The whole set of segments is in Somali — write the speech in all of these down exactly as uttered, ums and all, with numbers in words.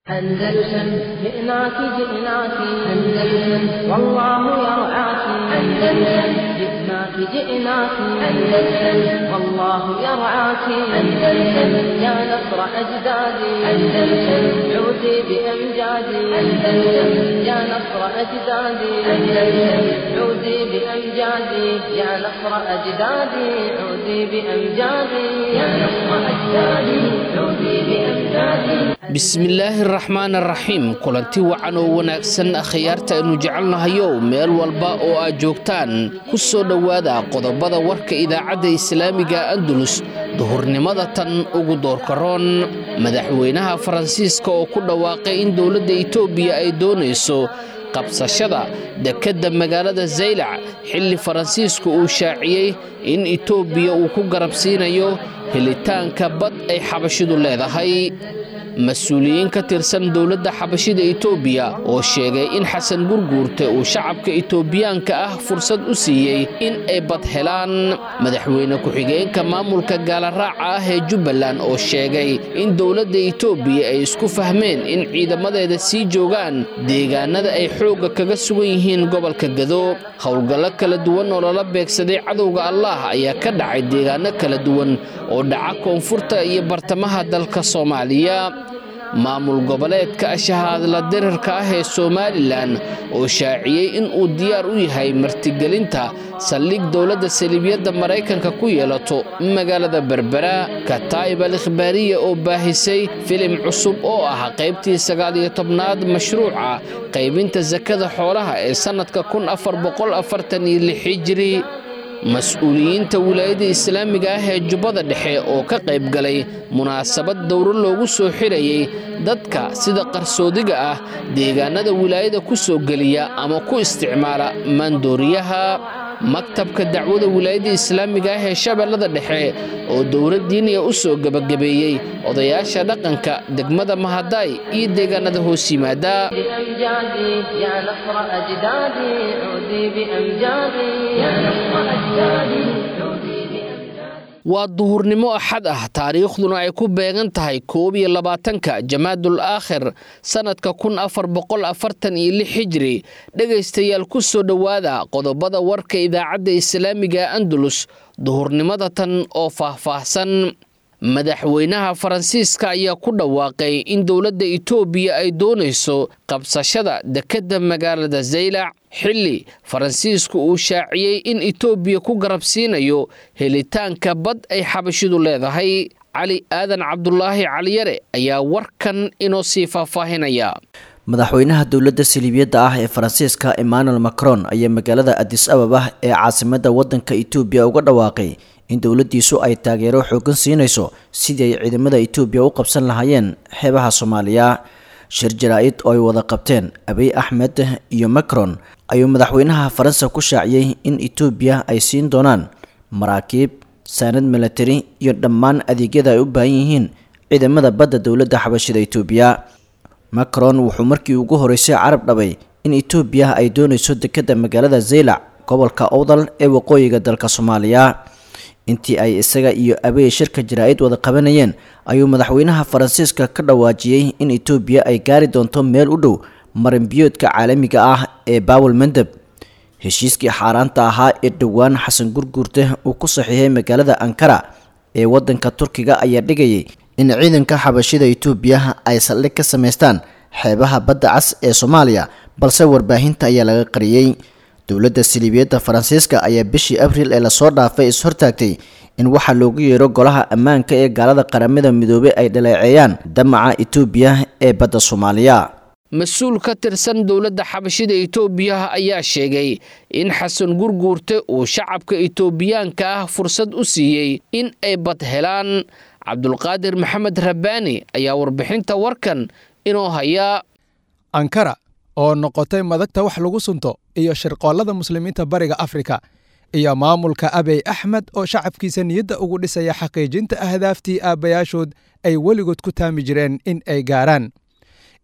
أندلسن جئناك جئناك أندلسن والله يرعاك أندلسن جئناك جئناك أندلسن والله يرعاك أندلسن يا نصر أجدادي أندلسن عودي بأمجادي أندلسن يا نصر أجدادي أندلسن عودي بأمجادي يا نصر أجدادي عودي بأمجادي يا نصر أجدادي عودي بأمجادي. Bismillaahi raxmaan raxiim. Kulanti wacan oo wanaagsan, akhyaarta aynu jecelnahayow, meel walba oo aad joogtaan, ku soo dhowaada qodobada warka Idaacadda Islaamiga Andalus duhurnimada tan ugu doorkaroon. Madaxweynaha Faransiiska oo ku dhawaaqay in dowladda Itoobiya ay doonayso qabsashada dekedda magaalada Zaylac, xilli Faransiisku uu shaaciyey in Itoobiya uu ku garabsiinayo helitaanka bad ay xabashidu leedahay. Mas-uuliyiin ka tirsan dowladda xabashida Itoobiya oo sheegay in Xasan Gurguurte uu shacabka Itoobiyaanka ah fursad u siiyey in ay bad helaan. Madaxweyne ku-xigeenka maamulka gaalaraaca ah ee Jubbaland oo sheegay in dowladda Itoobiya ay isku fahmeen in ciidamadeeda sii joogaan deegaanada ay xoogga kaga sugan yihiin gobolka Gado. Howlgallo kala duwan oo lala beegsaday cadowga Allaah ayaa ka dhacay deegaano kala duwan oo dhaca koonfurta iyo bartamaha dalka Soomaaliya. Maamul goboleedka ashahaadla dirarka ah ee Somalilan oo shaaciyey in uu diyaar u yahay martigelinta saldhig dowladda saliibiyadda Maraykanka ku yeelato magaalada Berbera. Kataa'ib al Ikhbaariya oo baahisay filim cusub oo ah qaybtii sagaal iyo tobnaad mashruuca qaybinta sakada xoolaha ee sannadka kun afar boqol afartan iyo lix hijri. Mas-uuliyiinta wilaayada islaamiga ah ee Jubbada Dhexe oo ka qayb galay munaasabad dowro loogu soo xirayey dadka sida qarsoodiga ah deegaanada wilaayada ku soo geliya ama ku isticmaala maandooriyaha. Maktabka dacwada wilaayada islaamiga ah ee Shabeellada Dhexe oo dowlad diiniya u soo gebagabeeyey odayaasha dhaqanka degmada Mahadaay iyo deegaanada hoos yimaada. بأمجادي يا نصر أجدادي عودي بأمجادي يا نصر أجدادي عودي بأمجادي. Waa duhurnimo Axad ah, taariikhduna ay ku beegan tahay koob iyo labaatanka Jamaadul Aakhir sannadka kun afar boqol afartan iyo lix hijri. Dhegaystayaal, ku soo dhowaada qodobada warka Idaacadda Islaamiga Andalus duhurnimada tan oo faahfaahsan. Madaxweynaha Faransiiska ayaa ku dhawaaqay in dowladda Itoobiya ay doonayso qabsashada dekedda magaalada Zaylac, xilli Faransiisku uu shaaciyey in Itoobiya ku garabsiinayo helitaanka bad ay xabashidu leedahay. Cali Aadan Cabdulaahi Caliyare ayaa warkan inoo sii faahfaahinaya. Madaxweynaha dowladda saliibiyadda ah ee Faransiiska Emmanuel Macron ayaa magaalada Addis Ababa ee caasimadda waddanka Itoobiya uga dhawaaqay in dowladdiisu ay taageero xooggan siinayso sidii ay ciidamada Itoobiya u qabsan lahaayeen xeebaha Soomaaliya. Shir jaraa'id oo ay wada qabteen Abiy Axmed iyo Macron ayuu madaxweynaha Faransa ku shaaciyey in Itoobiya ay siin doonaan maraakiib, saanad milatari iyo dhammaan adeegyada ay u baahan yihiin ciidamada badda dowladda xabashida Itoobiya. Macron wuxuu markii ugu horeysay carab dhabay in Itoobiya ay doonayso dekedda magaalada Zaylac, gobolka Owdal ee waqooyiga dalka Soomaaliya. Intii ay isaga iyo Abiy shirka jaraa'id wada qabanayeen ayuu madaxweynaha Faransiiska ka dhawaajiyey in Itoobiya ay gaari doonto meel u dhow marinbiyoodka caalamiga ah ee Baawel Mandeb. Heshiiskii xaaraanta ahaa ee dhowaan Xasan Gurguurte uu ku saxiixay magaalada Ankara ee waddanka Turkiga ayaa dhigayay in ciidanka xabashida Itoobiya ay saldhig ka samaystaan xeebaha badda cas ee Soomaaliya, balse warbaahinta ayaa laga qariyey. Dowladda saliibiyadda Faransiiska ayaa bishii Abriil ee lasoo dhaafay is-hortaagtay in waxaa loogu yeero golaha ammaanka ee gaalada Qaramada Midoobay ay dhaleeceeyaan damaca Itoobiya ee badda Soomaaliya. Mas-uul ka tirsan dowladda xabashida Itoobiya ayaa sheegay in Xasan Gurguurte uu shacabka Itoobiyaanka ah fursad u siiyey in ay bad helaan. Cabdulqaadir Maxamed Rabbaani ayaa warbixinta warkan inoo hayaa. Ankara oo noqotay madagta wax lagu sunto iyo shirqoollada muslimiinta Bariga Afrika, iyo maamulka Abiy Axmed oo shacabkiisa niyadda ugu dhisaya xaqiijinta ahdaaftii aabbayaashood ay weligood ku taami jireen in ay gaaraan,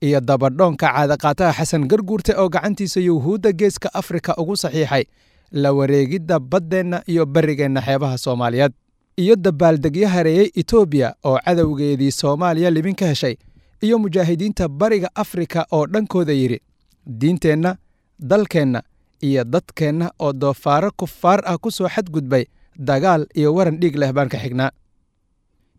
iyo dabadhoonka caadaqaataha Xasan Garguurte oo gacantiisa Yuhuudda Geeska Afrika ugu saxiixay la wareegidda baddeenna iyo barrigeenna xeebaha Soomaaliyeed, iyo dabaaldegyo hareeyey Itoobiya oo cadowgeedii Soomaaliya libin ka heshay, iyo mujaahidiinta Bariga Afrika oo dhankooda yidhi diinteenna, dalkeenna iyo dadkeenna oo doofaaro kufaar ah ku soo xadgudbay dagaal iyo waran dhiig leh baan ka xignaa.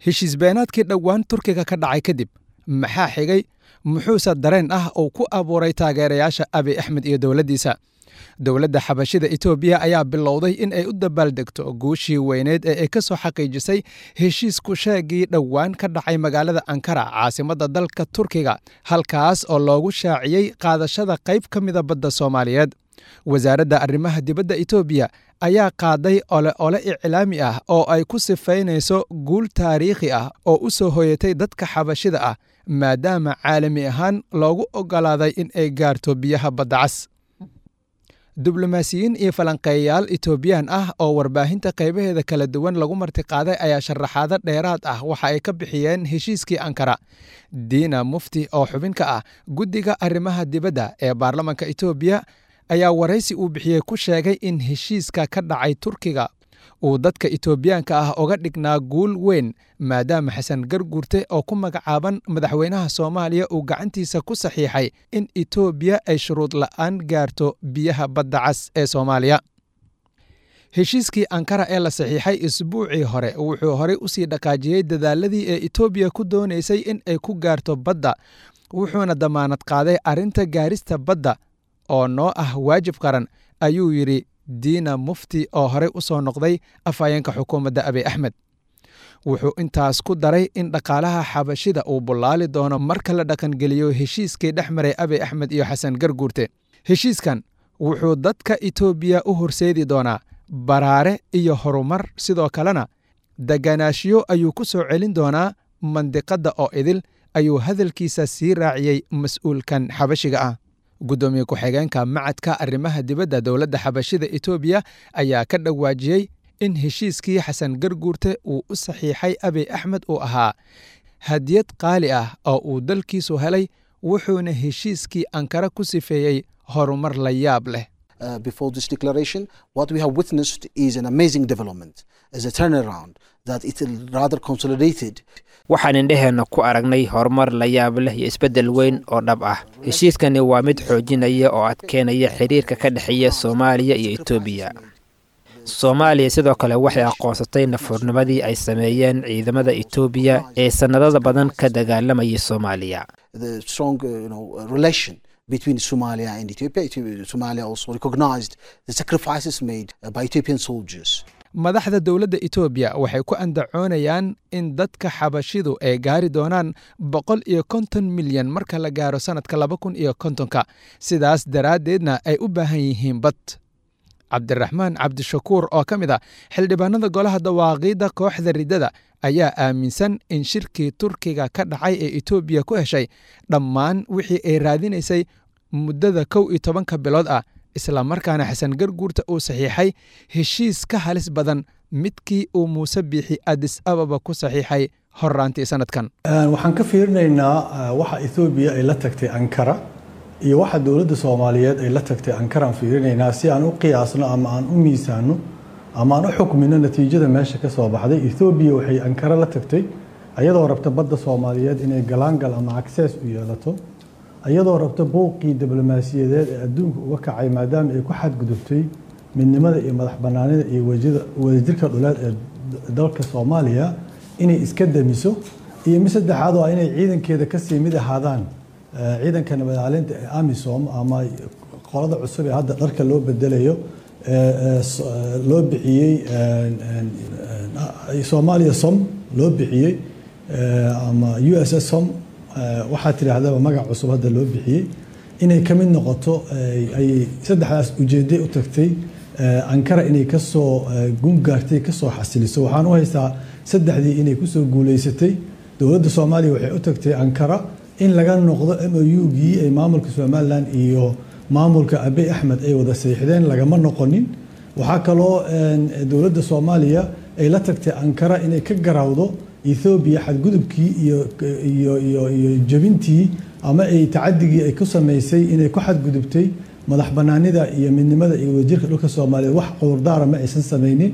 Heshiis beenaadkii dhowaan Turkiga ka dhacay kadib maxaa xigay? Muxuuse dareen ah oo ku abuuray taageerayaasha Abiy Axmed iyo dowladdiisa? Dowladda xabashida Itoobiya ayaa bilowday in ay u dabaaldegto guushii weyneed ee ay ka soo xaqiijisay heshiisku sheegii dhowaan ka dhacay magaalada Ankara, caasimadda dalka Turkiga, halkaas oo loogu shaaciyey qaadashada qayb ka mida badda Soomaaliyeed. Wasaaradda arrimaha dibadda Itoobiya ayaa qaaday ole ole iclaami ah oo ay ku sifaynayso guul taariikhi ah oo u soo hoyatay dadka xabashida ah, maadaama caalami ahaan loogu oggolaaday in ay gaarto biyaha badda cas. Diblomaasiyiin iyo falanqeeyayaal Itoobiyaan ah oo warbaahinta qaybaheeda kala duwan lagu martiqaaday ayaa sharaxaado dheeraad ah waxa ay ka bixiyeen heshiiskii Ankara. Diina Mufti oo xubin ka ah guddiga arrimaha dibadda ee baarlamanka Itoobiya ayaa waraysi uu bixiyey ku sheegay in heshiiska ka dhacay Turkiga uu dadka Itoobiyaanka ah uga dhignaa guul weyn, maadaama Xasan Garguurte oo ku magacaaban madaxweynaha Soomaaliya uu gacantiisa ku saxiixay in Itoobiya ay shuruud la'aan gaarto biyaha badda cas ee Soomaaliya. Heshiiskii Ankara ee la saxiixay isbuucii hore wuxuu horey usii dhaqaajiyey dadaaladii ee Itoobiya ku doonaysay in ay ku gaarto badda, wuxuuna damaanad qaaday arrinta gaarista badda oo noo ah waajib qaran, ayuu yidhi Diina Mufti oo horey u soo noqday afhayeenka xukuumadda Abiy Axmed. Wuxuu intaas ku daray in dhaqaalaha xabashida uu bullaali doono marka la dhaqangeliyo heshiiskii dhex maray Abiy Axmed iyo Xasan Garguurte. Heshiiskan wuxuu dadka Itoobiya u horseedi doonaa baraare iyo horumar, sidoo kalena deganaashiyo ayuu ku soo celin doonaa mandiqadda oo idil, ayuu hadalkiisa sii raaciyey mas'uulkan xabashiga ah. Guddoomiye ku-xigeenka macadka arrimaha dibadda dowladda xabashida Itoobiya ayaa ka dhawaajiyey in heshiiskii Xasan Garguurte uu u saxiixay Abiy Axmed uu ahaa hadiyad qaali ah oo uu dalkiisu helay, wuxuuna heshiiskii Ankara ku sifeeyey horumar la yaab leh. Uh, before this declaration, what we have witnessed is an amazing development, is a turnaround that it rather consolidated. Waxaan indhaheenna ku aragnay horumar la yaab leh iyo isbeddel weyn oo dhab ah. Heshiiskani waa mid xoojinaya oo adkeynaya xiriirka ka dhexeeya Soomaaliya iyo Itoobiya. Soomaaliya sidoo kale waxay aqoonsatay nafurnimadii ay sameeyeen ciidamada Itoobiya ee sannadada badan ka dagaalamayay Soomaaliya. The strong, uh, you know, relation between Somalia and Ethiopia. Somalia also recognized the sacrifices made by Ethiopian soldiers. Madaxda dowladda Itoobiya waxay ku andacoonayaan in dadka xabashidu ay gaari doonaan boqol iyo konton milyan marka la gaaro sanadka laba kun iyo kontonka, sidaas daraaddeedna ay u baahan yihiin bad. Cabdiraxmaan Cabdishakuur oo ka mid ah xildhibaanada golaha dawaaqiidda kooxda riddada ayaa aaminsan in shirkii Turkiga ka dhacay ee Itoobiya ku heshay dhammaan wixii ay raadinaysay muddada kow iyo tobanka bilood ah, isla markaana Xasan Garguurta uu saxiixay heshiis ka halis badan midkii uu Muuse Biixi Addis Ababa ku saxiixay horraantii sanadkan. Waxaan ka fiirinaynaa waxa Itoobiya ay la tagtay Ankara iyo waxa dowladda Soomaaliyeed ay la tagtay Ankara aan fiirinaynaa si aan u qiyaasno ama aan u miisaano ama aan u xukmino natiijada meesha ka soo baxday. Itoobiya waxay Ankara la tagtay ayadoo rabta badda Soomaaliyeed inay galaangal ama access u yeelato, iyadoo rabta buuqii diblomaasiyadeed ee adduunka uga kacay maadaama ay ku xadgudubtay midnimada iyo madax bannaanida iyo wadajirka dhuleed ee dalka Soomaaliya inay iska damiso, iyo mid saddexaad oo inay ciidankeeda kasii mid ahaadaan ciidanka nabadcelinta ee AMISOM ama qolada cusub ee hadda dharka loo bedelayo loo bixiyey Soomaaliya SOM loo bixiyey ama U S S SOM, waxaa tidhaahdaba magac cusub hadda loo bixiyey, inay ka mid noqoto ay saddexdaas ujeeday u tagtay Ankara inay kasoo gungaartay kasoo xasiliso. Waxaan u haystaa saddexdii inay kusoo guuleysatay. Dowladda Soomaaliya waxay u tagtay Ankara in laga noqdo M O U-gii ay maamulka Somaliland iyo maamulka Abiy Axmed ay wada saxiixdeen, lagama noqonin. Waxaa kaloo dowladda Soomaaliya ay la tagtay Ankara inay ka garawdo Ethiopia xadgudubkii iyo iyo iyo iyo jabintii ama ay tacadigii ay ku sameysay inay ku xadgudubtay madax bannaanida iyo midnimada iyo wadajirka dhulka Soomaaliyeed. Wax cudurdaara ma aysan sameynin.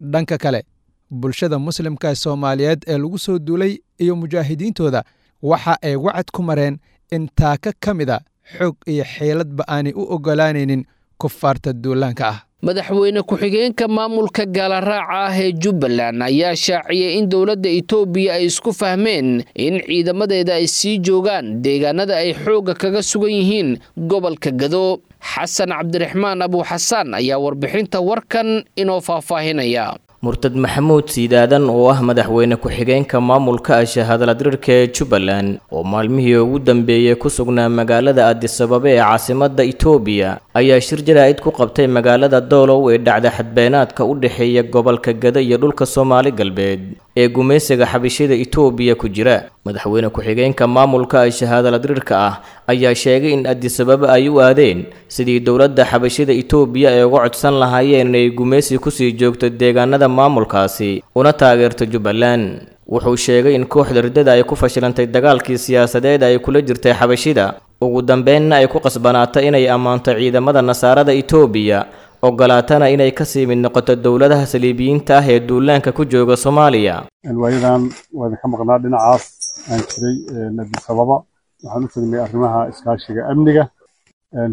Dhanka kale, bulshada muslimka Soomaaliyeed ee lagu soo duulay iyo mujaahidiintooda Waxa ay wacad ku mareen in taaka ka mid a xoog iyo xeeladba aanay u oggolaanaynin kufaarta duulaanka ah. Madaxweyne ku-xigeenka maamulka gaalaraaca ah ee Jubbaland ayaa shaaciyay in dowladda Itoobiya ay isku fahmeen in ciidamadeeda ay sii joogaan deegaanada ay xoogga kaga sugan yihiin gobolka Gado. Xasan Cabdiraxmaan Abuuxasaan ayaa warbixinta warkan inoo faahfaahinaya. Murtad Maxamuud Siidaadan oo ah madaxweyne ku-xigeenka maamulka ashahadaladirirka ee Jubbaland oo maalmihii ugu dambeeyey ku sugnaa magaalada Addis Ababa ee caasimadda Itoobiya ayaa shir jaraa'id ku qabtay magaalada Doolow ee dhacda xadbeenaadka u dhexeeya gobolka Gado iyo dhulka Soomaali Galbeed ee gumaysiga xabashida Itoobiya ku jira. Madaxweyne ku-xigeenka maamulka ashahadaladirirka ah ayaa sheegay in Addis Ababa ay u aadeen sidii dowladda xabashida Itoobiya ay uga codsan lahaayeen inay gumaysi kusii joogto deegaanada maamulkaasi una taageerto Jubbaland. Wuxuu sheegay in kooxda riddada ay ku fashilantay dagaalkii siyaasadeed ay kula jirtay xabashida, ugu dambeynna ay ku qasbanaatay inay ammaanto ciidamada nasaarada Itoobiya, ogolaatana inay kasii mid noqoto dowladaha saliibiyiinta ah ee duulaanka ku jooga Soomaaliya. Waayadan waa idinka maqnaa dhinacaas aan jiray Addis Ababa, waxaan u tagnay arrimaha iskaashiga amniga.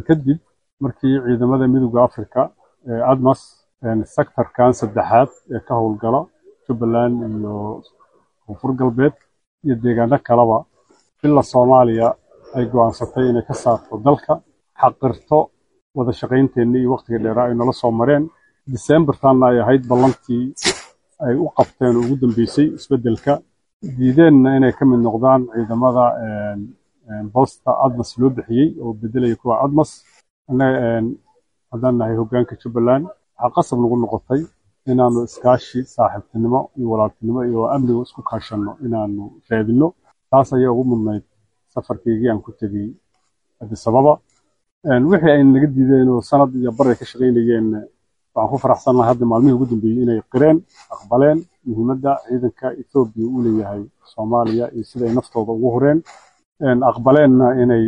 Kadib markii ciidamada Midowga Afrika ee ADMAS sektarkan saddexaad ee ka howlgala Jubbaland iyo Koonfur Galbeed iyo deegaano kaleba ila Soomaaliya ay go'aansatay inay ka saarto dalka, xaqirto wada shaqaynteenna iyo waqtiga dheeraa ay nala soo mareen. December-taanna ay ahayd ballantii ay u qabteen oo ugu dambeysay isbeddelka, diideenna inay ka mid noqdaan ciidamada boosta ADMAS loo bixiyey oo beddelaya kuwa ADMAS. Annaga haddaan nahay hoggaanka Jubbaland, waxaa qasab nagu noqotay inaanu iskaashi saaxiibtinimo iyo walaaltinimo iyo amniga isku kaashanno inaanu raadinno. Taas ayaa ugu mudnayd safarkaygii aan ku tegey Addis Ababa. Wixii ay naga diideen oo sanad iyo bar ay ka shaqaynayeen, waxaan ku faraxsanahay hadda maalmihii ugu dambeeyey inay qireen, aqbaleen muhiimadda ciidanka Itoobiya uu leeyahay Soomaaliya iyo sida ay naftooda ugu hureen, aqbaleenna inay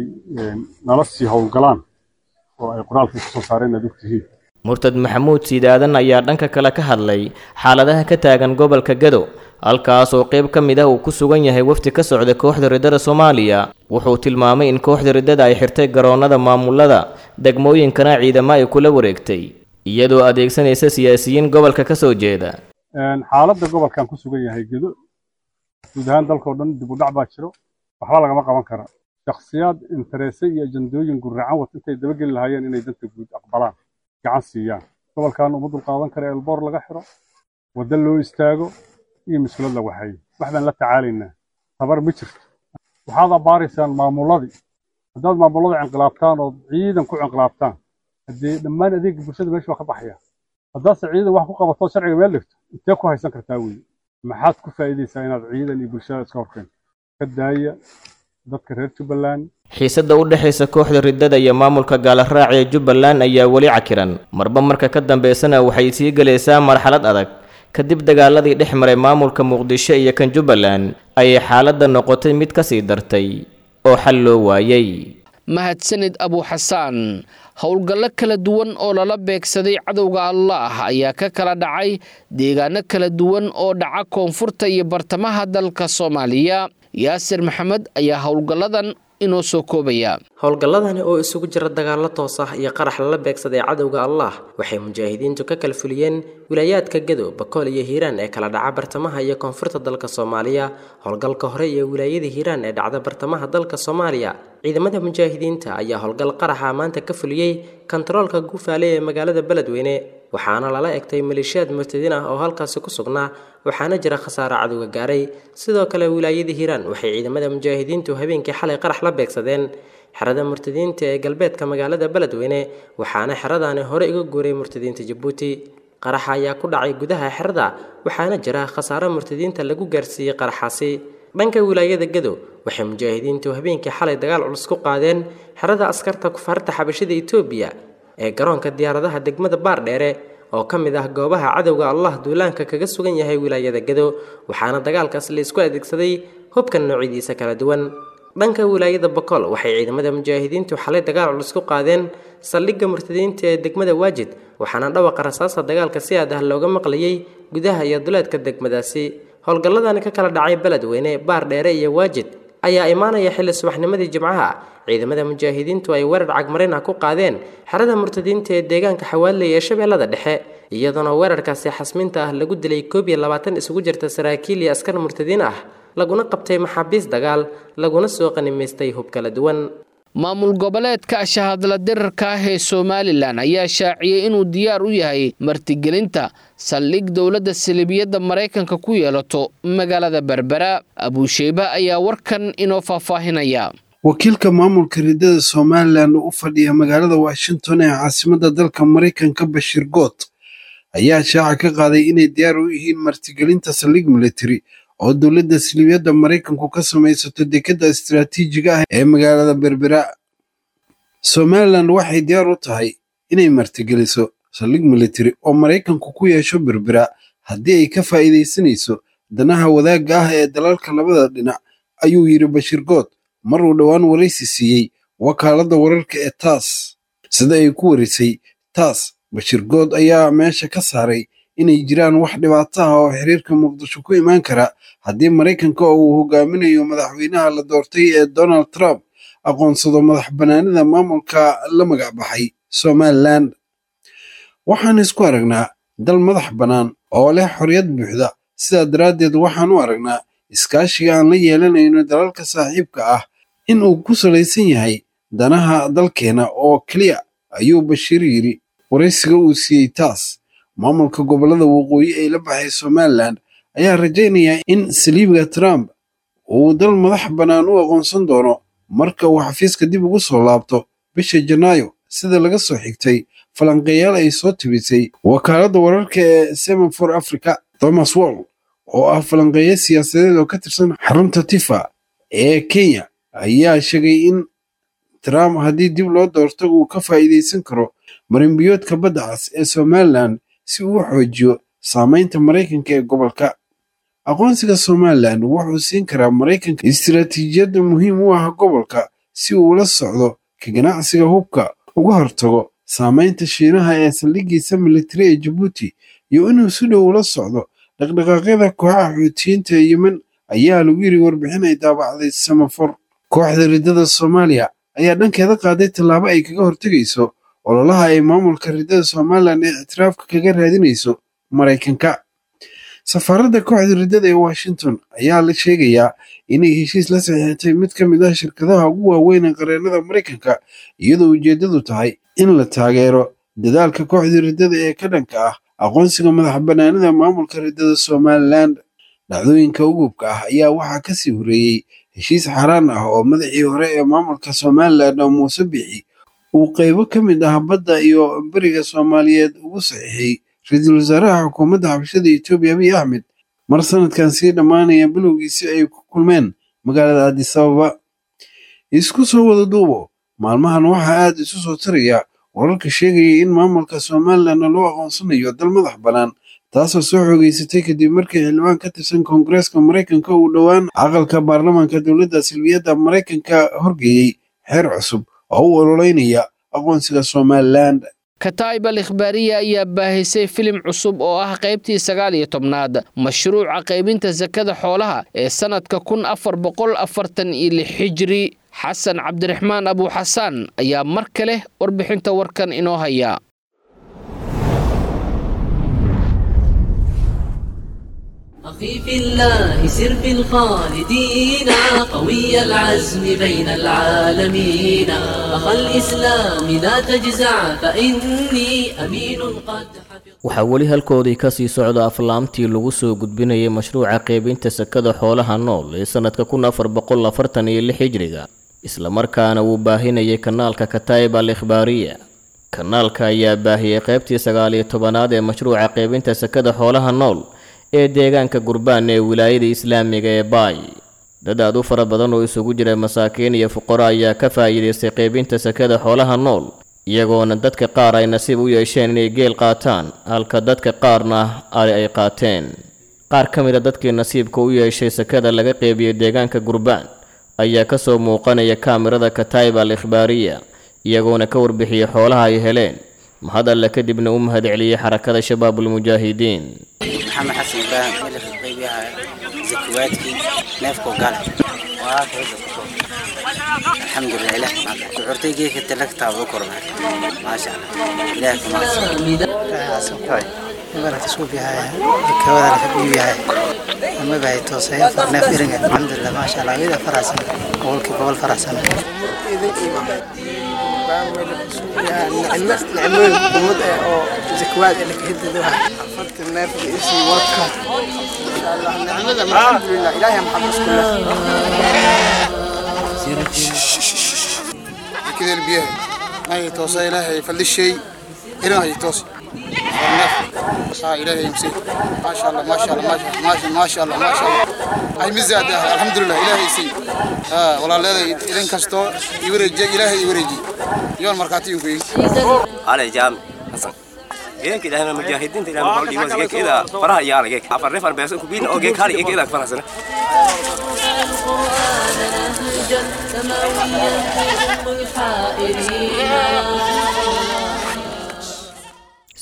nala sii howlgalaan oo ay qoraalkii kusoo saareen aad ogtihiin. Murtad Maxamuud Siidaadan ayaa dhanka kale ka hadlay xaaladaha ka taagan gobolka Gado, halkaas oo qayb ka mid ah uu ku sugan yahay wafdi ka socda kooxda riddada Soomaaliya. Wuxuu tilmaamay in kooxda riddada ay xirtay garoonada maamulada degmooyinkana ciidamo ay kula wareegtay, iyadoo adeegsanaysa siyaasiyiin gobolka ka soo jeeda. Xaaladda gobolkan ku sugan yahay Gado, guud ahaan dalkoo dhan dib u dhac baa jiro, waxba lagama qaban kara. Shakhsiyaad interese iyo ajandooyin gurracan wata intay dabageli lahaayeen inay danta guud aqbalaan, gacan siiyaan. Gobolkan uma dulqaadan kara elboor laga xiro, waddo loo istaago iyo mas-uulad la waxeeyo. Wax baan la tacaalaynaa, tabar ma jirto. Waxaad abbaaraysaan maamuladii. Haddaad maamulada inqilaabtaan ood ciidan ku inqilaabtaan, haddee dhammaan adeega bulshada meesha waa ka baxaya. Haddaadse ciidan wax ku qabato sharciga meel dhigto, intee ku haysan kartaa weeye? Maxaad ku faa'iidaysaa inaad ciidan iyo bulshada iska horkeento? Ka daaya dadka reer Jubbaland. Xiisadda u dhexaysa kooxda riddada iyo maamulka gaalaraac ee Jubbaland ayaa weli cakiran, marba marka ka dambeysana waxay sii gelaysaa marxalad adag. Kadib dagaaladii dhex maray maamulka Muqdisho iyo kan Jubbaland ayay xaaladda noqotay mid ka sii dartay oo xal loo waayay. Mahadsanid Abuuxasaan. Howlgallo kala duwan oo lala beegsaday cadowga Allaah ayaa ka kala dhacay deegaano kala duwan oo dhaca koonfurta iyo bartamaha dalka Soomaaliya. Yaasir Maxamed ayaa howlgalladan inoo soo koobaya. Howlgalladani oo isugu jira dagaallo toos ah iyo qarax lala beegsaday cadowga Allaah waxay mujaahidiintu ka kala fuliyeen wilaayaadka Gado, Bakool iyo Hiiraan ee kala dhaca bartamaha iyo koonfurta dalka Soomaaliya. Howlgalka hore iyo wilaayada Hiiraan ee dhacda bartamaha dalka Soomaaliya, ciidamada mujaahidiinta ayaa howlgal qaraxa maanta ka fuliyey kantaroolka Guufaale ee magaalada Beledweyne, waxaana lala egtay maleeshiyaad murtadiin ah oo halkaasi ku sugnaa, waxaana jira khasaare cadowga gaaray. Sidoo kale wilaayada Hiiraan waxay ciidamada mujaahidiintu habeenkii xalay qarax la beegsadeen xerada murtadiinta ee galbeedka magaalada Beledweyne, waxaana xeradaani hore uga guuray murtadiinta Jabuuti. Qaraxa ayaa ku dhacay gudaha xerada, waxaana jira khasaare murtadiinta lagu gaarsiiyey qaraxaasi. Dhanka wilaayada Gado waxay mujaahidiintu habeenkii xalay dagaal culus ku qaadeen xerada askarta kufaarta xabashida Itoobiya ee garoonka diyaaradaha degmada Baardheere oo ka mid ah goobaha cadowga Allah duulaanka kaga sugan yahay wilaayada Gado, waxaana dagaalkaas la isku adeegsaday hubka noocyadiisa kala duwan. Dhanka wilaayada Bakool waxay ciidamada mujaahidiintu xalay dagaal culus ku qaadeen saldhigga murtadiinta ee degmada Waajid, waxaana dhawaqa rasaasta dagaalka si aad ah looga maqlayay gudaha iyo duleedka degmadaasi. Howlgalladani ka kala dhacay Beledweyne, Baardheere iyo Waajid ayaa imaanaya xilli subaxnimadii Jimcaha ciidamada mujaahidiintu ay weerar cagmarin ah ku qaadeen xerada murtadiinta ee deegaanka Xawaaley ee Shabeellada Dhexe, iyadoona weerarkaasi xasminta ah lagu dilay koob iyo labaatan isugu jirta saraakiil iyo askar murtadiin ah, laguna qabtay maxaabiis dagaal, laguna soo qanimaystay hub kala duwan. Maamul goboleedka shahadla dirarka ah ee Somalilan ayaa shaaciyey inuu diyaar u yahay martigelinta saldhig dowladda salibiyadda Maraykanka ku yeelato magaalada Berbera. Abuusheyba ayaa warkan inoo faahfaahinaya. Wakiilka maamulka riddada Somalilan oo u fadhiya magaalada Washington ee caasimadda dalka Maraykanka, Bashir Goot, ayaa shaaca ka qaaday inay diyaar u yihiin martigelinta saldhig military oo dowladda salibiyadda Maraykanku ka samaysato dekedda istiraatiijiga ah ee magaalada Berbera. Somalilan waxay diyaar u tahay inay martigeliso saldhig military oo Maraykanku ku yeesho Berbera haddii ay ka faa'iidaysanayso danaha wadaagga ah ee dalalka labada dhinac, ayuu yidhi Bashir Goot mar uu dhowaan waraysi siiyey wakaaladda wararka ee TASS. Sida ay ku warisay TASS, Bashir Goot ayaa meesha ka saaray inay jiraan wax dhibaato ah oo xiriirka Muqdisho ku imaan kara haddii Maraykanka oo uu hogaaminayo madaxweynaha la doortay ee Donald Trump aqoonsado madax bannaanida maamulka la magac baxay Somaliland. Waxaan isku aragnaa dal madax bannaan oo leh xorriyad buuxda, sidaa daraaddeed waxaan u aragnaa iskaashiga aan la yeelanayno dalalka saaxiibka ah in uu ku salaysan yahay danaha dalkeena oo keliya, ayuu Bashiir yidhi waraysiga uu siiyey TASS. Maamulka gobollada waqooyi ee la baxay Somaliland ayaa rajaynaya in saliibiga Trump uu dal madax bannaan u aqoonsan doono marka uu xafiiska dib ugu soo laabto bisha Janaayo, sida laga soo xigtay falanqeeyaal ay soo tibisay wakaaladda wararka ee Semafor Africa. Thomas Wall oo ah falanqeeye siyaasadeed oo ka tirsan xarunta Tifa ee Kenya ayaa sheegay in Trump haddii dib loo doorto uu ka faa'iidaysan karo marinbiyoodka badda cas ee Somaliland si uu u xoojiyo saameynta Maraykanka ee gobolka. Aqoonsiga Somaliland wuxuu siin karaa Maraykanka istiraatiijiyad muhiim u ah gobolka si uu ula socdo ka ganacsiga hubka, uga hortago saameynta Shiinaha ee saldhiggiisa militari ee Jabuuti, iyo inuu si dhow ula socdo dhaqdhaqaaqyada kooxaha Xuutiyiinta ee Yemen, ayaa lagu yiri warbixin ay daabacday Semafor. Kooxda riddada Soomaaliya ayaa dhankeeda qaaday tallaabo ay kaga hortegayso ololaha ay maamulka riddada Somaliland ee ictiraafka kaga raadinayso Maraykanka. Safaaradda kooxda riddada ee Washington ayaa la sheegayaa inay heshiis la saxiixatay mid ka mid ah shirkadaha ugu waaweyn ee qareennada Maraykanka, iyadoo ujeeddadu tahay in la taageero dadaalka kooxda riddada ee ka dhanka ah aqoonsiga madax bannaanida maamulka riddada Somaliland. Dhacdooyinka ugubka ah ayaa waxaa ka sii horeeyey heshiis xaaraan ah oo madaxii hore ee maamulka Somaliland oo Muuse Bixi uu qaybo ka mid ah badda iyo beriga Soomaaliyeed ugu saxiixay ra-iisul wasaaraha xukuumadda xabashada Itoobiya Abiy Ahmed mar sanadkan sii dhammaanaya bilowgiisi ay ku kulmeen magaalada Addis Ababa. Isku soo wada duubo, maalmahan waxaa aad isu soo taraya wararka sheegaya in maamulka Somaliland loo aqoonsanayo dal madax bannaan, taasoo soo xoogeysatay kadib markii xildhibaan ka tirsan Koongareeska Maraykanka uu dhowaan aqalka baarlamaanka dowladda salbiyadda Maraykanka horgeeyey xeer cusub oo u ololeynaya aqoonsiga Somaliland. Kataib al Ikhbaariya ayaa baahisay filim cusub oo ah qaybtii sagaal iyo tobnaad mashruuca qaybinta sakada xoolaha ee sanadka kun afar boqol afartan iyo lix xijri. Xasan Cabdiraxmaan Abu Xasaan ayaa mar kale warbixinta warkan inoo haya. أخي في الله سر في الخالدين، قوي العزم بين العالمين، أخا الإسلام لا تجزع فإني أمين قد Waxaa weli halkoodii ka sii socda aflaamtii lagu soo gudbinayay mashruuca qaybinta sakada xoolaha nool ee sanadka kun afar boqol afartan iyo lix hijriga, islamarkaana uu baahinayay kanaalka Kataib al Ikhbaariya. Kanaalka ayaa baahiyey qaybtii sagaal iyo tobanaad ee mashruuca qaybinta sakada xoolaha nool ee deegaanka Gurbaan ee wilaayada islaamiga ee Baay. Dad aad u fara badan oo isugu jira masaakiin iyo fuqaro ayaa ka faa'iidaystay qaybinta sakada xoolaha nool, iyagoona dadka qaar ay nasiib u yeesheen inay geel qaataan, halka dadka qaarna ari ay qaateen. Qaar ka mid a dadkii nasiibka u yeeshay sakada laga qaybiyey deegaanka Gurbaan ayaa ka soo muuqanaya kaamirada Kataib al Ikhbaariya, iyagoona ka warbixiyey xoolaha ay heleen. Mahad alle kadibna u mahadceliyey xarakada Shabaabul Mujaahidiin. Maxamed Xasan Ibraahim, meel ka qaybiyaha zakawaadkii neefka gala. Alxamdulilah, ilaah shucuurtay geedka talagtaa ugu korma, maasha Allah, ilaah kuma. Nicmooyin ummad eh oo zakawaad ee laka hidada afarta neef isii wadka, insha Allah nicmada, alxamdulilah, ilaahay maxamed isku leh. Zakadeen biyaha may toosa, ilaahay fadlishay ilaahay toos neef saa ilaahay imsi, maasha Allah, maasha Allah, maasha maasha Allah, maasha Allah, ay mizaad, alxamdulilah, ilaahay sii walaaleeda idin kasto i wareejiya, ilaahay i wareeji yoon markhaati ku على جام حسن geedka ilaahay mujaahidiinta ilaahay maxaa dhiibay geedka ida faraha yaala geedka afar neef arbeesan ku biin oo geedka hal geedka ida farahsan.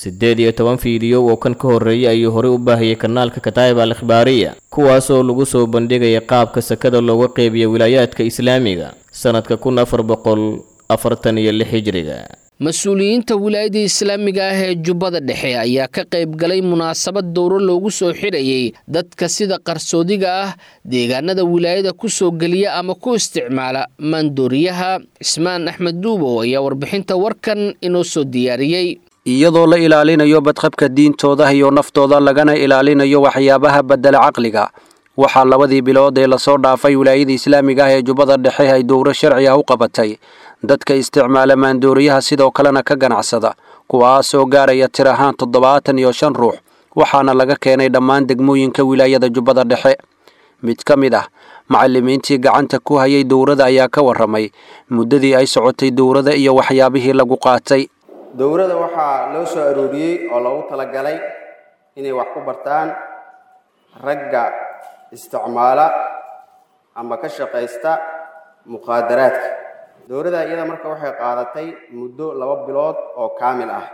Siddeed iyo toban fiidiyo oo kan ka horreeyay ayuu horey u baahiyey kanaalka Kataib al Ikhbaariya, kuwaasoo lagu soo bandhigaya qaabka sakada looga qeybiyo wilaayaadka islaamiga sanadka kun afar boqol afartan iyo lix hijriga. Mas-uuliyiinta wilaayada islaamiga ah ee Jubbada Dhexe ayaa ka qayb galay munaasabad dowro loogu soo xidhayay dadka sida qarsoodiga ah deegaanada wilaayada ku soo geliya ama ku isticmaala maandooriyaha. Cismaan Axmed Duubow ayaa warbixinta warkan inoo soo diyaariyey. Iyadoo la ilaalinayo badqabka diintooda iyo naftooda, lagana ilaalinayo waxyaabaha bedela caqliga, waxaa labadii bilood ee lasoo dhaafay wilaayada islaamiga ah ee Jubbada Dhexe ay dowro sharci ah u qabatay dadka isticmaala maandooriyaha, sidoo kalena ka ganacsada, kuwaasoo gaaraya tir ahaan toddobaatan iyo shan ruux, waxaana laga keenay dhammaan degmooyinka wilaayada Jubbada Dhexe. Mid ka mid ah macallimiintii gacanta ku hayay dowrada ayaa ka warramay muddadii ay socotay dowrada iyo waxyaabihii lagu qaatay. Dowrada waxaa loo soo arooriyey oo loogu talagalay inay wax ku bartaan ragga isticmaala ama ka shaqaysta muqaadaraadka. Dowladda iyada marka waxay qaadatay muddo laba bilood oo kaamil ah.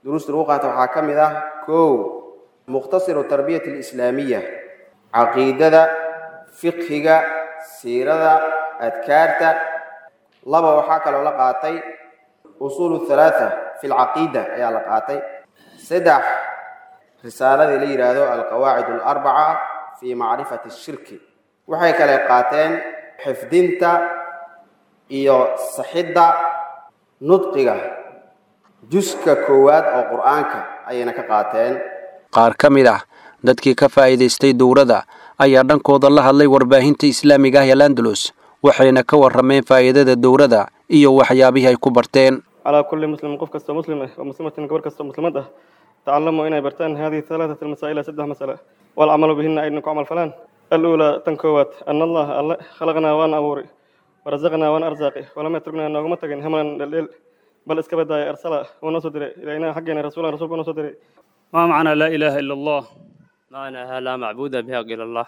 Duruusta lagu qaata waxaa ka mid ah: kow, mukhtasiru tarbiyati alislaamiya, caqiidada, fiqhiga, siirada, adkaarta. Laba, waxaa kaloo la qaatay usuulu thalaatha fi alcaqiida ayaa la qaatay. Saddex, risaaladii la yidhaahdo alqawaacid alarbaca fi macrifati ashirki. Waxay kale qaateen xifdinta iyo saxidda nudqiga juska koowaad oo Qur-aanka ayayna ka qaateen. Qaar ka mid ah dadkii ka faa'iidaystay dowrada ayaa dhankooda la hadlay warbaahinta islaamiga ah ee Landalus, waxayna ka warrameen faa'iidada dowrada iyo waxyaabihii ay ku barteen. Calaa kulli muslim, qof kastoo muslim ah, wa muslimatin, gabar kastoo muslimad ah, tacalamu, inay bartaan, haadihi halaatat almasaa'ila, saddex mas'ale, walcamalu bihinna, ayna ku camal falaan. Aluulaa, tan koowaad, ana Allaha alle khalaqnaa, waana abuuray, warasaqnaa, waana arsaaqi, walam yatruknaa, nooguma tagin, hamlan, dheldheel, bal iska badaaya, arsala, wuu noo soo diray, ilaynaa, xaggeena, rasuulan, rasuulku noo soo diray. ما معنى لا إله إلا الله؟ معناها لا معبود بحق إلا الله.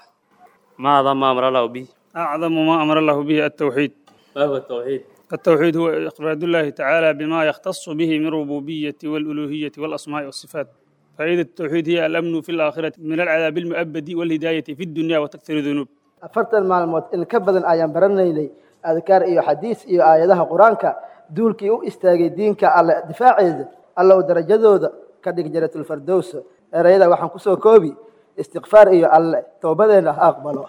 ما أعظم ما أمر الله به؟ أعظم ما أمر الله به التوحيد. ما هو التوحيد؟ التوحيد هو إفراد الله تعالى بما يختص به من ربوبية والألوهية والأسماء والصفات. فائدة التوحيد هي الأمن في الآخرة من العذاب المؤبد والهداية في الدنيا وتكثير الذنوب. Afartan maalmood in ka badan ayaan baranaynay adkaar iyo xadiis iyo aayadaha Qur-aanka. Duulkii u istaagay diinka Alle difaaceeda, Allow darajadooda ka dhig Janatulfardows. Erayada waxaan kusoo koobi istikfaar iyo Alle toobadeenna ha aqbalo.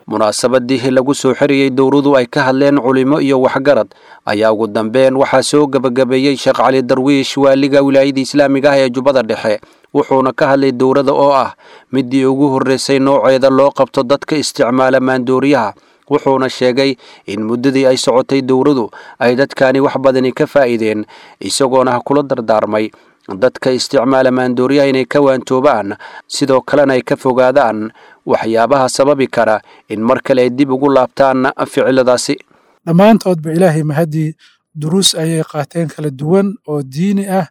Munaasabadii lagu soo xiriyey dowradu ay ka hadleen culimo iyo waxgarad ayaa ugu dambeyn waxaa soo gebagabeeyey Sheekh Cali Darwiish, waaliga wilaayada islaamiga ah ee Jubbada Dhexe, wuxuuna ka hadlay dowrada oo ah midii ugu horreysay nooceeda loo qabto dadka isticmaala maandooriyaha, wuxuuna sheegay in muddadii ay socotay dowradu ay dadkani wax badani ka faa'iideen, isagoona kula dardaarmay dadka isticmaala maandooriyaha inay ka waantoobaan, sidoo kalena ay ka fogaadaan waxyaabaha sababi kara in mar kale ay dib ugu laabtaan ficiladaasi. Dhammaantoodba ilaahay mahadii, duruus ayay qaateen kala duwan oo diini ah.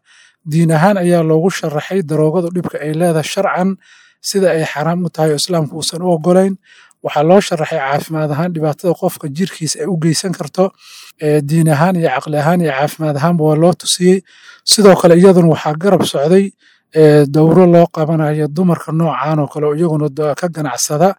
Diin ahaan ayaa loogu sharaxay daroogadu dhibka ay leedahay, sharcan sida ay xaraam u tahay oo islaamku uusan u ogolayn. Waxaa loo sharaxay caafimaad ahaan dhibaatada qofka jirkiisa ay u geysan karto. Diin ahaan iyo caqli ahaan iyo caafimaad ahaanba waa loo tusiyey. Sidoo kale iyaduna waxaa garab socday dowro loo qabanayo dumarka noocan oo kale oo iyaguna ka ganacsada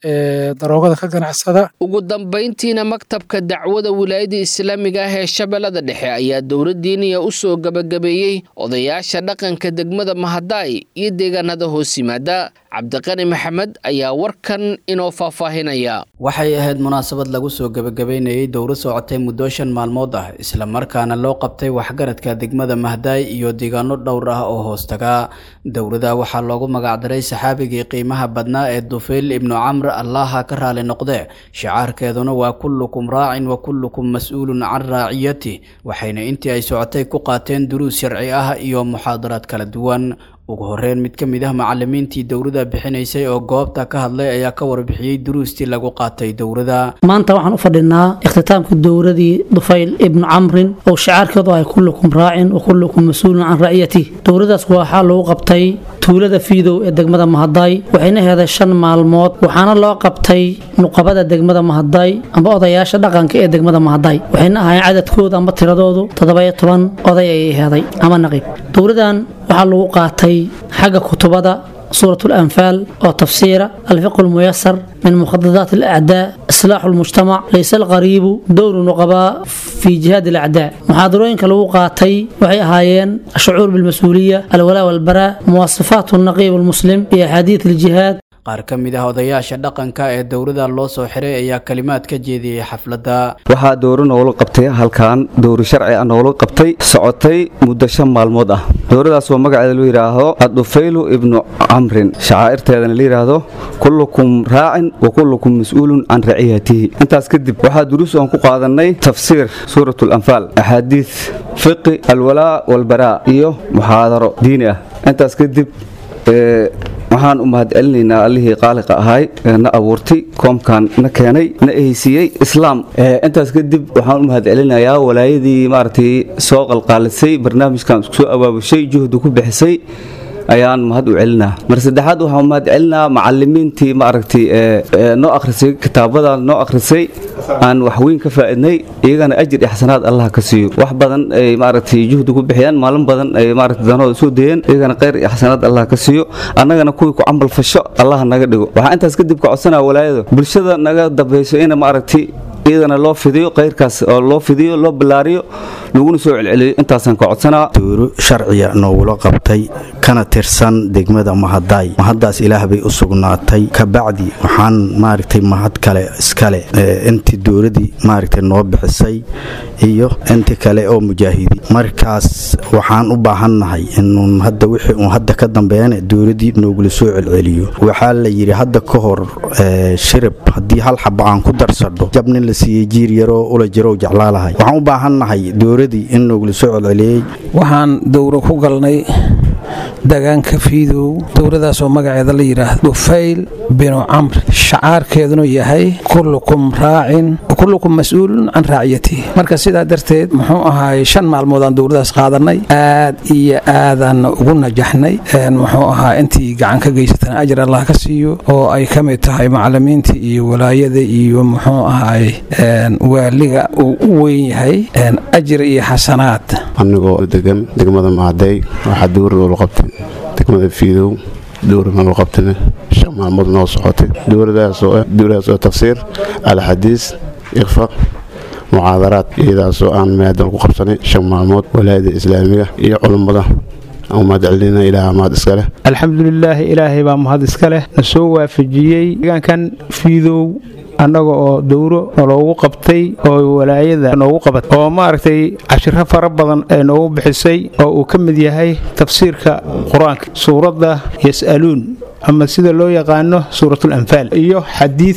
daroogada ka ganacsada. Ugu dambayntiina maktabka dacwada wilaayada islaamiga ah ee Shabeellada Dhexe ayaa dowladdiiniya u soo gabagabeeyey odayaasha dhaqanka degmada Mahadaay iyo deegaanada hoos yimaada. Cabdiqani Maxamed ayaa warkan inoo faahfaahinaya. Waxay ahayd munaasabad lagu soo gabagabeynayay dowro socotay muddo shan maalmood ah, islamarkaana loo qabtay waxgaradka degmada Mahadaay iyo deegaano dhowr ah oo hoostaga. Dowrada waxaa loogu magacdaray saxaabigii qiimaha badnaa ee Dufayl ibnu Camr, Allaha ka raali noqde. Shicaarkeeduna waa kullukum raacin wa kullukum mas-uulun can raaciyati. Waxayna intii ay socotay ku qaateen duruus sharci ah iyo muxaadaraad kala duwan. Ugu horreyn, mid ka mid ah macallimiintii dowrada bixinaysay oo goobta ka hadlay ayaa ka warbixiyey duruustii lagu qaatay dowrada. Maanta waxaan u fadhinaa ikhtitaamka dowradii Dufayl ibnu Camrin oo shicaarkeedu ay kullukum raacin wa kullukum mas-uulun can raciyati. Dowradaas waxaa lagu qabtay tuulada Fiidow ee degmada Mahadaay, waxayna heeday shan maalmood, waxaana loo qabtay nuqabada degmada Mahadaay amba odayaasha dhaqanka ee degmada Mahadaay, waxayna ahaayeen cadadkooda amba tiradoodu toddoba-iyo toban oday ayay heeday ama naqiib. Dowradan waxaa lagu qaatay xagga kutubada suurat al-anfaal oo tafsiira, alfiqhu almuyasar min mukhadadaat alacdaa, islaaxu almujtamac, laysa alqariibu, dowru nuqabaa fi jihaad alacdaa. Muxaadarooyinka lagu qaatay waxay ahaayeen ashucuur bilmas-uuliya, alwalaa walbaraa, muwaasafaat alnaqiib almuslim iyo axaadiid aljihaad. Qaar ka mid ah odayaasha dhaqanka ee dowrada loo soo xiray ayaa kalimaad ka jeediyey xafladda. Waxaa dowro noola qabtay halkan, dowro sharci ah noola qabtay, socotay muddo shan maalmood ah. Dowradaas oo magaceeda loo yidhaahdo Adufaylu ibnu Camrin, shacaa'irteedana la yidhaahdo kullukum raacin wa kullukum mas-uulun can raciyatihi. Intaas kadib waxaa duruus aan ku qaadanay tafsiir suurat alanfaal, axaadiid, fiqi, alwalaa walbaraa iyo muxaadaro diini ah. Intaas kadib waxaan u mahadcelinaynaa allihii qaaliqa ahay ee na abuurtay, koomkan na keenay, na ehaysiiyey islaam. Intaas kadib waxaan u mahadcelinayaa walaayadii maaragtay soo qalqaalisay barnaamijkan, isku soo abaabushay, juhdi ku bixisay ayaan mahad u celinaa. Mar saddexaad waxaan mahad celinaa macallimiintii maaragtay noo akhrisay kitaabadan, noo akhrisay, aan waxweyn ka faa'iidnay, iyagana ajir iyo xasanaad Allah ka siiyo. Wax badan ay maaragtay juhdi ku bixiyaan, maalin badan ay maaragtay danooda soo dayeen, iyagana khayr iyo xasanaad Allah ka siiyo, annagana kuwii ku camal fasho Allah naga dhigo. Waxaan intaas kadib ka codsanaa walaayada bulshada naga dambayso in maaragtay iyadana loo fidiyo khayrkaas, oo loo fidiyo, loo ballaariyo, laguna soo celceliyo. Intaasaan ka codsanaa. Dowro sharciya noogula qabtay kana tirsan degmada Mahadaay, mahaddaas ilaah bay u sugnaatay. Kabacdi waxaan maaragtay mahad kale iskale intii dowladii maaragtay noo bixisay iyo inti kale oo mujaahidi. Markaas waxaan u baahannahay inuun hadda wixii uun hadda ka dambeeyana dowladii noogula soo celceliyo. Waxaa la yidhi hadda ka hor, shirib haddii hal xaba aan ku darsadho jab nin la siiyey jiir yaroo ula jirow jeclaalahay. Waxaan u baahannahay dowladii in noogula soo celceliyey. Waxaan dowro ku galnay deegaanka Fiidow, dowladaasoo magaceeda la yidhaahdo Dufayl binu Camr, shacaarkeeduna yahay kullukum raacin kullukum mas-uulun can raaciyatihi. Marka sidaa darteed muxuu ahaay shan maalmoodaan dowladaas qaadanay, aad iyo aadaanna ugu najaxnay. Muxuu ahaa intii gacan ka geysatana ajar Allah ka siiyo, oo ay ka mid tahay macallimiinta iyo walaayada iyo muxuu ahaay waaliga uu u weyn yahay, ajir iyo xasanaad. Anigoo degan degmada Mahadey, waxaa dowra loola qabtay degmada Fiidow, dowra naloo qabtay shan maalmood noo socotay. Dowradaasoo ah dowradaas oo tafsiir alxadiis, iqfa, muxaadaraad, iyadaasoo aan maadan ku qabsanay shan maalmood. Walaayada islaamiga iyo culummada aan mahad celinayna, ilaaha mahad iska leh. Alxamdulilaahi, ilaahay baa mahad iska leh na soo waafajiyey deegaankan Fiidow annaga oo dowro naloogu qabtay oo walaayada noogu qabatay, oo maaragtay cashiro fara badan ee noogu bixisay, oo uu ka mid yahay tafsiirka qur-aanka suuradda Yas'aluun ama sida loo yaqaano suuratul anfaal, iyo xadiid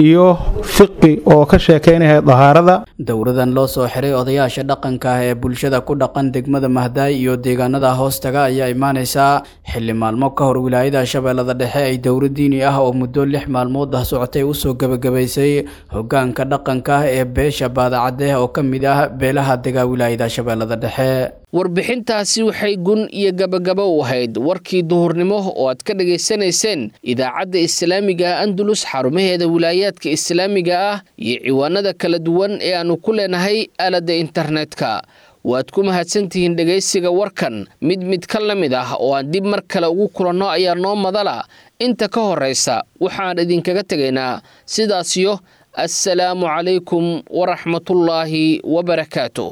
iyo fiqi oo ka sheekaynaya dahaarada. Dowradan loo soo xiray odayaasha dhaqanka ah ee bulshada ku dhaqan degmada Mahdaay iyo deegaanada hoostaga ayaa imaanaysaa xilli maalmo ka hor wilaayada Shabeellada Dhexe ay dowro diini ah oo muddo lix maalmood ah socotay usoo gebagabaysay hoggaanka dhaqanka ah ee beesha Baadacadde oo ka mid ah beelaha degaa wilaayada Shabeellada Dhexe. Warbixintaasi waxay gun iyo gabagabo u ahayd warkii duhurnimo oo aad ka dhagaysanayseen idaacadda islaamiga Andalus, xarumaheeda wilaayaadka islaamiga ah iyo ciwaanada kala duwan ee aanu ku leenahay aaladda internetka. Waad ku mahadsantihiin dhegaysiga warkan. Mid mid ka la mid ah oo aan dib mar kale ugu kulanno ayaa noo madala. Inta ka horraysa waxaan idinkaga tegaynaa sidaasiyo assalaamu calaykum waraxmatullaahi wabarakaatuh.